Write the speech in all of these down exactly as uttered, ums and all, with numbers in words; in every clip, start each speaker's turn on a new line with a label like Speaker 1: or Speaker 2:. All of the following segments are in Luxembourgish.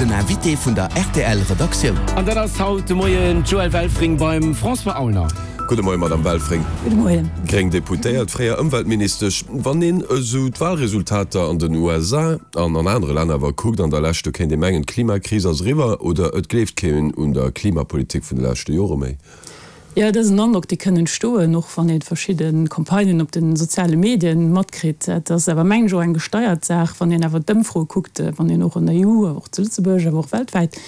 Speaker 1: Den Invité vun der rtl Redaktioun.
Speaker 2: An dat ass haut de Moien d'Joëlle Welfring beim François Aulner.
Speaker 3: Gudde Moien, Madamm Welfring.
Speaker 4: Gudde Moien.
Speaker 3: Gréng Deputéiert, fréier Ëmweltministesch. Wann een esou d'Wahlresultater an den U S A an an anere Länner awer kuckt an der Lescht, do kéint ee mengen, d'Klimakris ass eriwwer oder et gleeft keen un der Klimapolitik vun de leschte Jore méi.
Speaker 4: Jo, dat ass en Androck, dee kënn entstoen, och wann ee verschidde Campagnen op de soziale Medien matkritt. Dat ass awer, mengen ech, och eng gesteiert Saach. Wann een awer d'Ëmfroe kuckt, wann een och an der E U, awer och zu Lëtzebuerg, awer och weltwäit,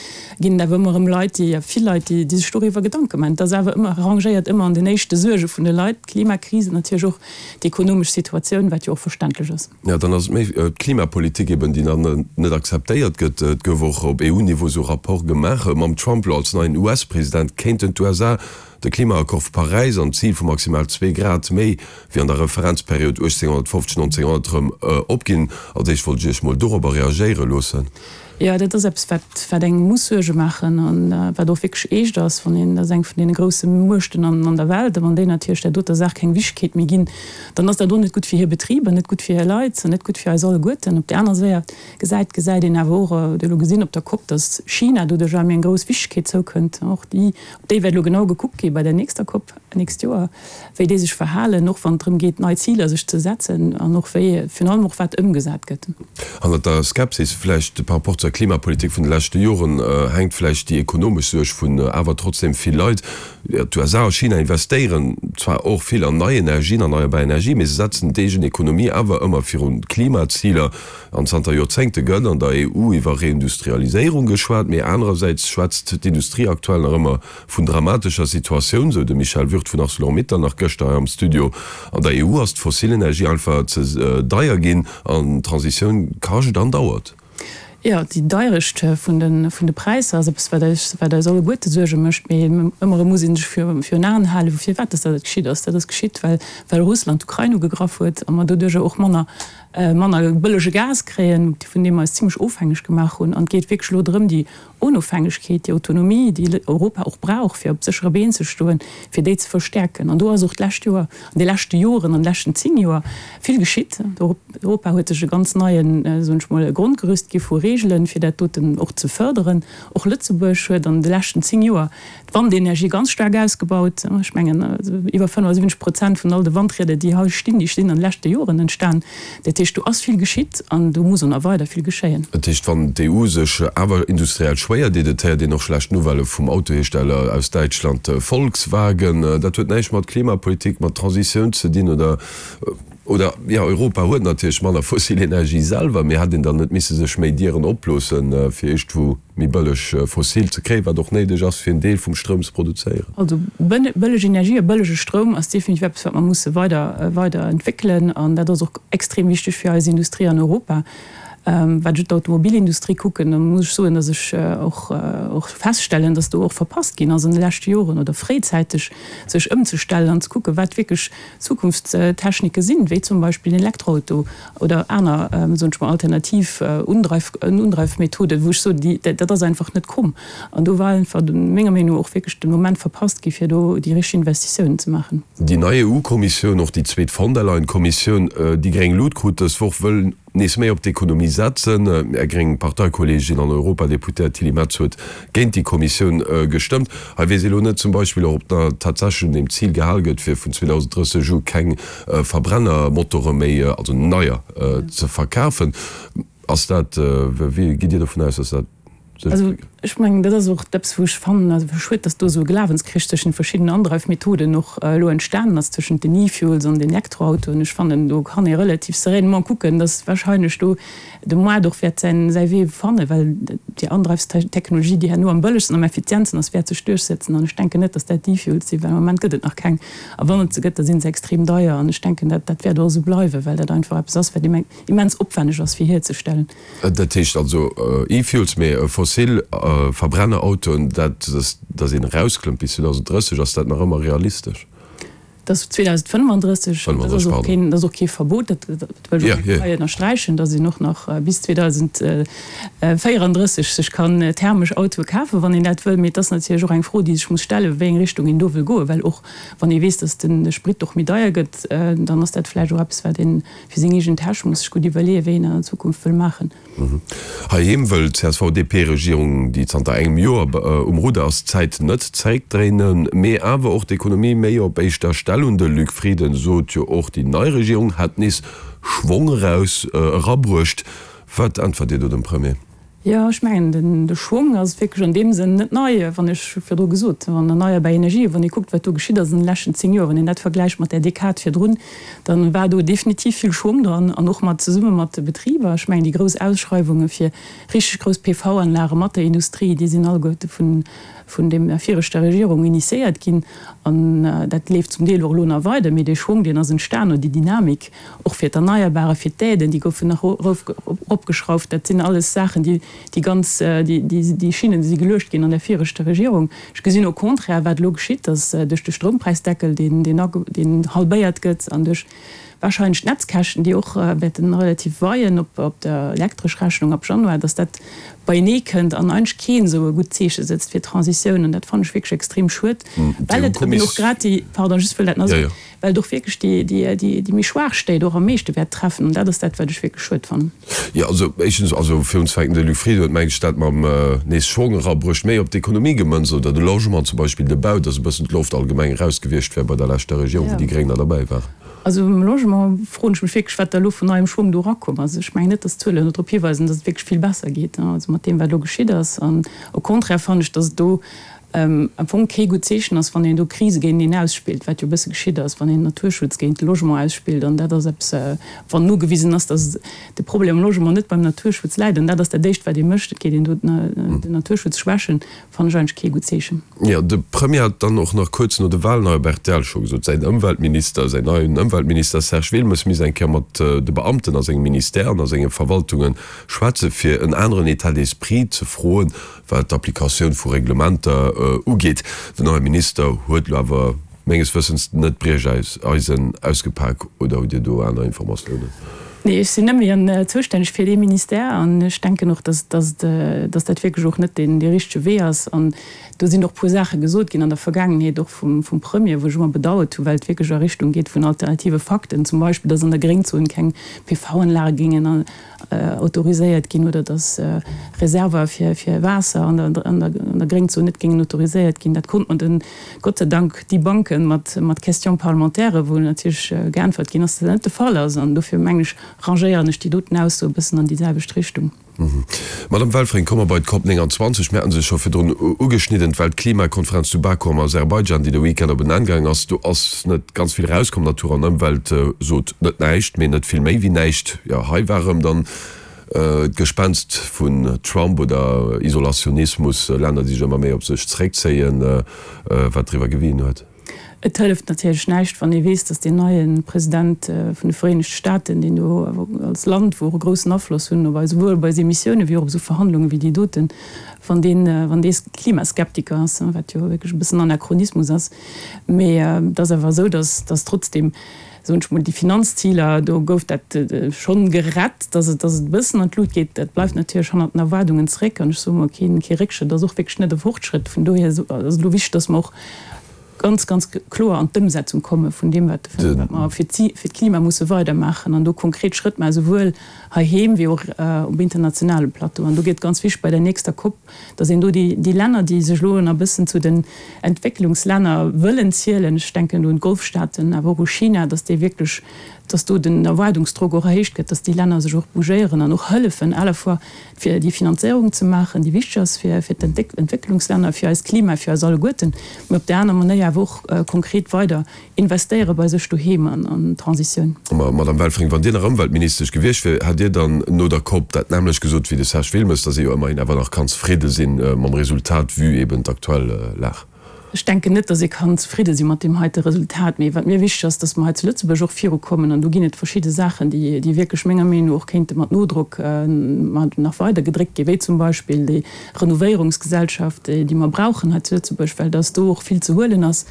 Speaker 4: ginn et awer ëmmer erëm Leit, déi, vill Leit, déi sech doriwwer Gedanke maachen. Et ass awer ëmmer, rangéiert ëmmer an den éischte Suerge vun de Leit, d'Klimakris an natierlech och d'ekonomesch Situatioun, wat jo och verständlech ass.
Speaker 3: Jo, dann ass et méi d'Klimapolitik eben, déi dann net akzeptéiert gëtt. Et gouf och op E U-Niveau esou Rapporte gemaach. Mam Trump elo als neien U S-President kéinten d'U S A de Klimaaccord vu Paräis an d'Zil vu maximal zwee Grad méi wéi an der Referenzperiod uechtzénghonnertfofzeg, nonzénghonnert erëm opginn. Als éischt wollt ech Iech mol dorobber reagéiere loossen.
Speaker 4: Jo, dat ass eppes, wat wat engem muss Suerge maachen an wat och wierklech eescht ass, wann een, dat ass eng vun deene grousse Muechten an an der Welt, a wann déi natierlech där doter Saach keng Wichtegkeet méi ginn, dann ass dat och net gutt fir hir Betriber, net gutt fir hir Leit an net gutt fir eis alleguerten. Op där aner Säit gesäit gesäit een awer och, huet elo gesinn op der Cop, datt China doduerch awer méi eng grouss Wichtegkeet zoukënnt. Och déi, op déi wäert elo genau gekuckt gi bei der nächster Cop nächst Joer, wéi déi sech verhalen, och wann et drëm geet, nei Ziler sech ze setzen an och wéi, virun allem och wat ëmgesat gëtt.
Speaker 3: Hannert der Skepsis vläicht par rapport zur Klimapolitik vun de leschte Joren hänkt vläicht déi ekonomesch Suerg vun awer trotzdem vill Leit. D'U S A a China investéieren zwar och vill an nei Energien, erneierbar Energie, mee se setzen d'eegen Ekonomie awer ëmmer virun d'Klimaziler. An zanter Joerzéngte gëtt an der E U iwwer Reindustrialiséierung geschwat, mee anerersäits schwätzt d'Industrie aktuell nach ëmmer vun dramatescher Situatioun, sou de Michel Würth vun Arcelor-Mittal nach gëschter hei am Studio. An der E U ass d'fossil Energie einfach ze deier ginn an d'Transitioun kascht an dauert.
Speaker 4: Jo, déi Deierecht vun de vun de Präisser ass eppes, wat eis wat eis alleguerte Suerge mécht. Mee ëmmer erëm muss ee sech virun Aen halen, firwat dass dat geschitt ass. Dat ass geschitt, well well Russland d'Ukrain ugegraff huet a mer doduerjer och manner manner bëllege Gas kréien, vun deem mer eis zimlech ofhängeg gemaach hunn. An et geet wierklech elo drëm, déi Onofhängegkeet, déi Autonomie, déi Europa och brauch, fir op séchere Been ze stoen, fir déi ze verstäerken. An do ass och d'lescht Joer, an de leschte Joren, an de leschten zéng Joer vill geschitt. Europa huet sech e ganz neien, soen ech mol, Grondgerüst gi vu Reegelen, fir dat doten och ze fërderen. Och Lëtzebuerg huet an de leschten zéng Joer d'Wandenergie ganz staark ausgebaut. Ech mengen, iwwer fënnefasiwwenzeg Prozent vun all de Wandrieder, déi hei stinn, déi stinn an de leschte Joren entstan. Dat heescht, do ass vill geschitt an do muss och nach weider vill geschéien.
Speaker 3: Dat heescht, wann d'E U sech awer industriell schwéier deet, et héiert een och schlecht Nouvellë vum Autohiersteller aus Däitschland Volkswagen, dat huet näischt mat Klimapolitik, mat Transitioun ze dinn, oder? Oder, jo, Europa huet natierlech manner fossil Energie selwer, mee hätt een dann net misse sech méi Dieren oploossen, fir iergendwou méi bëlleg fossil ze kréien, wat och néideg ass, fir en Deel vum Stroum ze produzéieren?
Speaker 4: Also bëlleg Energie a bëllege Stroum ass definitiv eppes, wat mer musse weider weider entwéckelen, an dat ass och extrem wichteg fir eis Industrie an Europa. Wat ech d'Automobilindustrie kucken, da muss ech soen, datt ech och och feststellen, datt do och verpasst ginn ass an de leschte Joren oder fréizäiteg sech ëmzestellen an ze kucken, wat wierklech Zukunftstechnike sinn, wéi zum Beispill den Elektroauto oder aner, soen ech mol, alternativ Undreif Undreifmethoden, wou ech soen, déi dat ass einfach net komm. An do war einfach menger Meenung no och wierklech de Moment verpasst gi fir do déi richteg Investitiounen ze maachen.
Speaker 3: Déi nei E U-Kommissioun, och déi zweet Von der Leyen-Kommissioun, déi gréng Lut krut dës Woch, wëll nees méi op d'Ekonomie setzen. Är gréng Parteikolleegin an Europadeputéiert Tilly Metz huet géint déi Kommissioun gestëmmt. Hei weess ee lo net zum Beispill och, ob da tatsächlech un deem Zil gehal gëtt, fir vun zweedausendrësseg u keng Verbrennermotore méi, also neier, ze verkafen. Ass dat, wéi gitt Dir dovun aus, dass dat sech
Speaker 4: Also
Speaker 3: entwéckelt?
Speaker 4: ech mengen, dat ass och eppes, wou ech fannen, also schued, dass do esou e Glawenskrich tëschent verschiddenen Andreifmethoden och elo entstanen ass, tëschent den E-Fuels an den Elektroautoen. Ech fannen, do kann ee relativ sereinement kucken, dass wahrscheinlech do de Moart och wäert säin, säi Wee fannen, well déi Andreifstechnologie, déi herno am bëllegsten, am effizientsten ass, wäert sech duerchsetzen. An ech denken net, dass dat d'E-Fuels sinn, well am Moment gëtt et nach keng. A wann et se gëtt, da si se extrem deier. An ech denken, dat, dat wäert och esou bleiwen, well dat einfach eppes ass, wat immens opwänneg ass fir hierzestellen.
Speaker 3: Dat heescht also E-Fuels, mee fossil Verbrennerautoen, dat, dass een erausklëmmt bis zweedausendrësseg, ass dat nach ëmmer realistesch?
Speaker 4: Dat ass zweedausendfënnefandrësseg, dat ass och keen, dat ass och kee Verbot, dat wëll ech och hei ënnersträichen, datt een och nach bis zweedausendvéierandrësseg sech kann thermesch Autoe kafen, wann een dat wëll. Mee et ass natierlech och eng Fro, déi sech muss stellen, wéi eng Richtung een do wëll goen, well och wann ee weess, datt de Sprit och méi deier gëtt, dann ass dat vläicht och eppes, wat ee fir seng eegen Täsch muss sech gutt iwwerleeën, wéi een an der Zukunft wëll maachen.
Speaker 3: Heiheem wëll d'CSV-DP-Regierung, déi zanter engem Joer um Rudder ass, d'Zäit net zeréckdréinen, mee awer och d'Ekonomie méi op éischter Stell hunn. De Luc Frieden sot jo och, déi nei Regierung hätt nees Schwong eraus erabruecht. Wat äntwert Dir do dem Premier?
Speaker 4: Jo, ech mengen, den de Schwong ass wierklech an deem Sënn net nei, wann ech virdru gesot hunn, erneierbar Energien, wann ee kuckt, wat do geschitt ass an de leschten zéng Joer, wann een dat vergläicht mat där Dekad virdrun, da war do definitiv vill Schwong dran an och mat zesumme mat de Betriber. Ech mengen, déi grouss Ausschreiwunge fir richteg grouss P V-Anlage mat der Industrie, déi sinn alleguerte vun vun deem viregter Regierung initiéiert ginn an dat leeft zum Deel och elo nach weider, mee dee Schwong, deen ass entstan oder déi Dynamik och fir d'Erneierbare, fir d'Aiden, déi goufen nach eropgeschrauft. Dat sinn alles Saachen, déi déi ganz, déi déi Schinnen, déi si geluecht ginn an der viregter Regierung. Ech gesinn au contraire, wat elo geschitt, dass duerch de Stroumpräisdeckel, deen deen halbéiert gëtt an duerch Wahrscheinlech d'Netzkäschten, déi och wäerten relativ weien op op der elektresch Rechnung ab Januar, dass dat beienee kënnt an eigentlech keen esou e gutt Zeeche sëtzt fir d'Transitioun. An dat fannen ech wierklech extrem schued, well et eben och grad déi, pardon, just wëll dat nach soen, well et och wierklech déi, déi, déi, déi méi schwaach Stéit och am meeschte wäert treffen. An dat ass dat, wat ech wierklech schued fannen.
Speaker 3: Jo, also éischtens, also fir unzefänken, de Luc Frieden huet, meng ech, dat mam nees Schwong erabruecht méi op d'Ekonomie gemënzt oder de Logement zum Beispill, de Bau, dass e bëssen d'Loft allgemeng eraus gewiescht wär bei der leschter Regierung, wou déi Gréng nach derbäi waren.
Speaker 4: Also um Logement froen ech mech wierklech, wat da elo vun neiem Schwong do erakomm ass. Ech mengen net, datt d'Zuelen do drop hiweisen, datt et wierklech vill besser geet, also mat deem, wat elo geschitt ass. An au contraire fannen ech, datt et do am Fong kee gutt Zeechen ass, wann een do Krise géinteneen ausspillt, wat jo e bësse geschitt ass, wann een Naturschutz géint de Logement ausspillt. An dat ass eppes, wann nogewisen ass, datt de Problem am Logement net beim Naturschutz läit, an dat ass dat Éischt, wat ee mécht, et geet een do den Naturschutz schwächen, fannen ech eigentlech kee gutt Zeechen.
Speaker 3: Jo, de Premier hat dann och nach kuerz no de Wahlen hei op rtl scho gesot, säin Ëmweltminister, säin neien Ëmweltminister Serge Wilmes misst eng Kéier mat de Beamten a sengem Ministère an a senge Verwaltunge schwätze fir en aneren État d'esprit ze froen, wat d'Applikatioun vu Reglementer ugeet. Den neie Minister huet elo awer menges Wëssens net d'Briecheisen ausgepak, oder hutt Dir do aner Informatiounen?
Speaker 4: Nee, ech sinn net méi zoustänneg fir dee Ministère an ech denken och, dass, dass, dass dat wierklech och net deen, dee richtege Wee ass. An do sinn och e puer Saache gesot ginn an der Vergaangenheet, och vum, vum Premier, wou ech ëmmer bedauert hu well et wierklech a Richtung geet vun alternative Fakten, zum Beispill, dass an der Gréngzon keng P V-Anlage géingen autoriséiert ginn oder dass Reserver fir, fir Waasser an der, an der, an der Gréngzon net géingen autoriséiert ginn. Dat konnt mer den, Gott sei Dank, debunken mat, mat Questions parlementaires, wou natierlech geäntwert ginn ass, dass dat net de Fall ass. An dofir mengen ech, rangéieren ech déi doten Ausso e bëssen an déi selwecht Richtung.
Speaker 3: Madame Welfring, komme mer bei d'Cop nénganzwanzeg. Mir haten se scho virdrun ugeschnidden, d'Weltklimakonferenz zu Baku am Aserbaidschan, déi de Weekend op en Enn gaangen ass. Do ass net ganz vill erauskomm. Natur an Ëmwelt sot net näischt, mee net vill méi wéi näischt. Jo, hei war erëm dann d'Gespenst vun Trump oder Isolationismus, Länner, déi sech ëmmer méi op sech zeréckzéien, wat driwwer gewien huet.
Speaker 4: Et hëlleft natierlech näischt, wann ee weess, datt deen neie President vun de Vereenegte Staaten, deen do als Land, wou och e groussen Afloss hunn op eis, esouwuel op eis Emissiounen wéi och op esou Verhandlungen wéi déi doten, wann deen, wann dee Klimaskeptiker ass, wat jo wierklech e bëssen Anachronismus ass. Mee et ass awer esou, datt, datt trotzdem, soen ech mol, déi Finanzziler, do gouf dat schonn gerett, datt et, datt et e bëssen an d'Lut geet. Dat bleift natierlech hannert den Erwaardungen zréck. An ech soe mol, keen, kee Réckschrëtt ass och wierklech net e Fortschrëtt. Vun dohier ass et elo wichteg, datt mer och ganz, ganz kloer an d'Ëmsetzung komme vun deem, wat mer fir d'Klima musse weidermaachen an do konkret Schrëtt maachen, esouwuel heiheem wéi och um internationale Plateau. An do gëtt ganz wichteg bei der nächster COP, datt een do déi Länner, déi sech elo nach e bëssen zu den Entwécklungslänner wëllen zielen, ech denken do un d'Golfstaaten, awer och u China, datt déi wierklech, datt do den Erwaardungsdrock och erhéicht gëtt, datt déi Länner sech och bougéieren an och hëllefen à la fois fir déi Finanzéierung ze maachen, déi wichteg ass fir d'Entwécklungslänner, fir eist Klima, fir eis alleguerten, mä op där aner Manéier awer och konkret weider investéiere bei sech doheem an d'Transitioun.
Speaker 3: Ma Madame Welfring, wann Dir nach Ëmweltministesch gewiescht wier, hätt Dir dann no der COP dat nämmlecht gesot wéi de Serge Wilmes, datt ee jo ëmmerhin awer nach kann zefridde sinn mam Resultat, vue eben d'aktuell Lag?
Speaker 4: Ech denken net, datt ee kann zefridde si mat deem heite Resultat. Mee wat mir wichteg ass, datt mer hei zu Lëtzebuerg och virukommen. An do ginn et verschidde Saachen, déi, déi wierklech menger Meenung no och kéinte mat Nodrock nach weider gedréckt ginn, wéi zum Beispill déi Renovéierungsgesellschaft, déi mer brauchen hei zu Lëtzebuerg, well datt do och vill ze huelen ass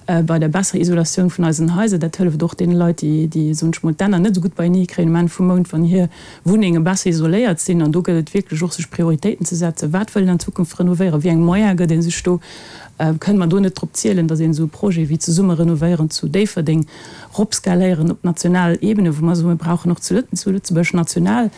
Speaker 4: bei der besserer Isolatioun vun eisen Haiser. Dat hëlleft och deene Leit, déi, déi, soen ech mol, d'Enner net esou gutt beienee kréien um Enn vum Mount, wann hir Wunnenge besser isoléiert sinn. An do gëllt et wierklech och, sech Prioritéiten ze setzen. Wat wëll een an Zukunft renovéieren? Wéi eng Moyene gëtt ee sech do? Kënne mer do net drop zielen, datt een esou e Projet wéi Zesumme renovéieren zu Déifferdeng ropskaléieren op national Ebene, wou mer soen, mir brauchen och zu Lëtzebuerg national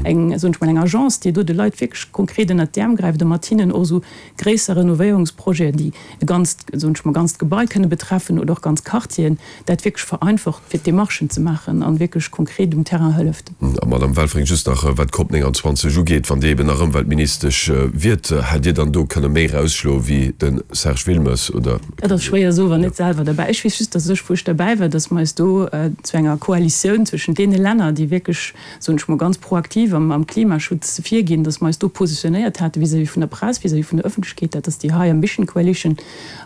Speaker 4: eng, soen ech mol, eng Agence, déi do de Leit wierklech konkret ënnert d'Äerm gräift a mat hinnen och esou gréisser Renovéierungsprojeten, déi e ganzt, soen ech mol, ganzt Gebai kënne betreffen oder och ganz Quartieren, dat wierklech vereinfacht, fir d'Demarchen ze maachen a wierklech konkret um Terrain hëlleft.
Speaker 3: A Madame Welfring, just nach wat d'Cop neunundzwanzeg ugeet, Wann Dir eben nach Ëmweltministesch wiert, hätt Dir dann do kënne méi erausschloe wéi de Serge Wilmes, oder?
Speaker 4: Dat ass schwéier soen, wann net selwer derbäi. Ech weess just, datt ech, wou ech derbäi war, datt mer eis do zu enger Koalitioun zwëschen deene Länner, déi wierklech, soen ech mol, ganz proaktiv am Klimaschutz virginn, datt mer eis do positionéiert hate vis-à-vis vun der Press, vis-à-vis vun der Ëffentlechkeet. Dat ass déi High Ambition Coalition,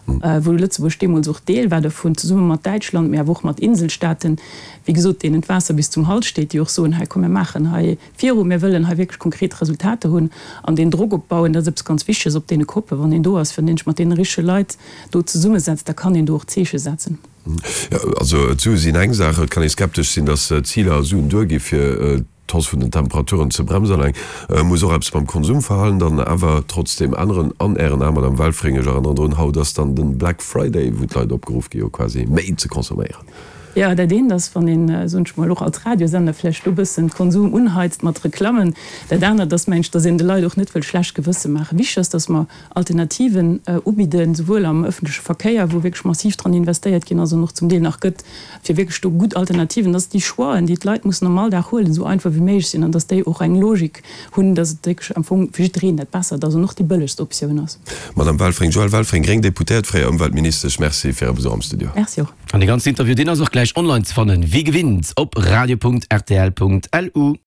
Speaker 4: wou Lëtzebuerg deemools och Deel war dovun, zesumme mat Däitschland, mee awer och mat Inselstaaten, wéi gesot, deenen d'Waasser bis zum Hals steet, déi och soen, hei komm mir maachen hei viru, mir wëllen hei wierklech konkret Resultater hunn an deen Drock opbauen, dat ass eppes ganz Wichteges op deene Koppen, wann een do ass, wann een sech mat deene richtege Leit do zesummesetzt, da kann een do och Zeeche setzen.
Speaker 3: Jo, also d'Sue sinn eng Saach. Et kann ee skeptesch sinn, datt d'Ziler a Suen duergi fir d'Hausse vun den Temperaturen ze bremsen. Alleng muss och eppes beim Konsumverhalen dann awer trotzdem änneren. An Ären Aen, Madame Welfring, ech erënneren drun, haut ass dann den Black Friday, wou d'Leit opgeruff gi jo quasi méi ze consomméieren.
Speaker 4: Jo, dat eent ass, wann een, soen ech mol, och als Radiosender vläicht do bëssen d'Konsum unheizt mat Reklammen. Dat anert ass, mengen ech, datt een de Leit och net wëll schlecht Gewësse maachen. Wichteg ass, datt mer Alternativen ubidden, souwuel am ëffentleche Verkéier, wou wierklech massiv dran investéiert ginn ass an och zum Deel nach gëtt, fir wierklech do gutt Alternativen, dass déi Choixen, déi d'Leit mussen am Alldag huelen, esou einfach wéi méiglech sinn an dass déi och eng Logik hunn, dass et wierklech am Fong fir jiddereen dat Bessert ass an och déi bëllegst Optioun ass.
Speaker 3: Madame Welfring, Joëlle Welfring, gréng Deputéiert, fréier Ëmweltministesch, merci fir Är Besuch am Studio.
Speaker 4: Merci och.
Speaker 2: An dee ganzen Interview, deen ass och gläich online ze fannen, wéi gewinnt op radio punkt rtl punkt lu.